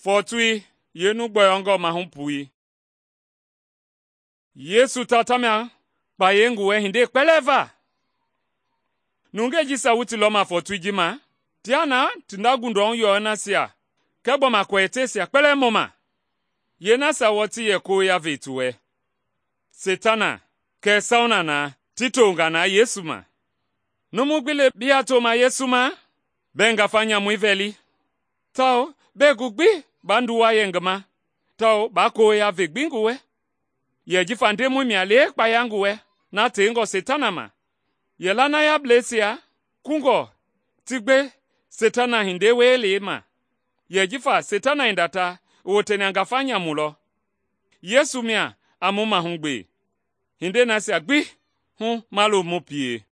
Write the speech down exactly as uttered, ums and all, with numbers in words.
Fɔɔtoi yeenu gbɔyɔngɔ mahu pui. Yesu ta tamia kpayei ngi wɛ hindei kpɛlɛɛ va. Nungei jisia wu ti lɔma fɔɔtoi ji ma, tia na ti nda gundɔhu yɔɔ nasia kɛɛ gbɔma kɔɛtɛisia kpɛlɛɛ mɔma. Yeenasia wɔɔ ti yɛ koya ve ti wɛ. Seitana kɛɛ Sauna na ti tonga na Yesu ma. Numu gbi le bii yaa toma Yesu ma, bɛɛ ngafa nyamui vɛli, tawao bɛɛ gu gbi baa nduwa yɛ ngi ma, tawao baa koya ve gbi ngi wɛ. Yɛ jifa Ndemɔi mia le kpaya ngi wɛ na tengɔ Seitana ma. Yɛ lanayableisia kungɔ ti gbe Seitana hindei wielei ma, yɛ jifa Seitana hinda ta i woteni a ngafa nyamu lɔ. Yesu mia a mu mahugbe, hindei nasia gbi hu ma lo mu pie.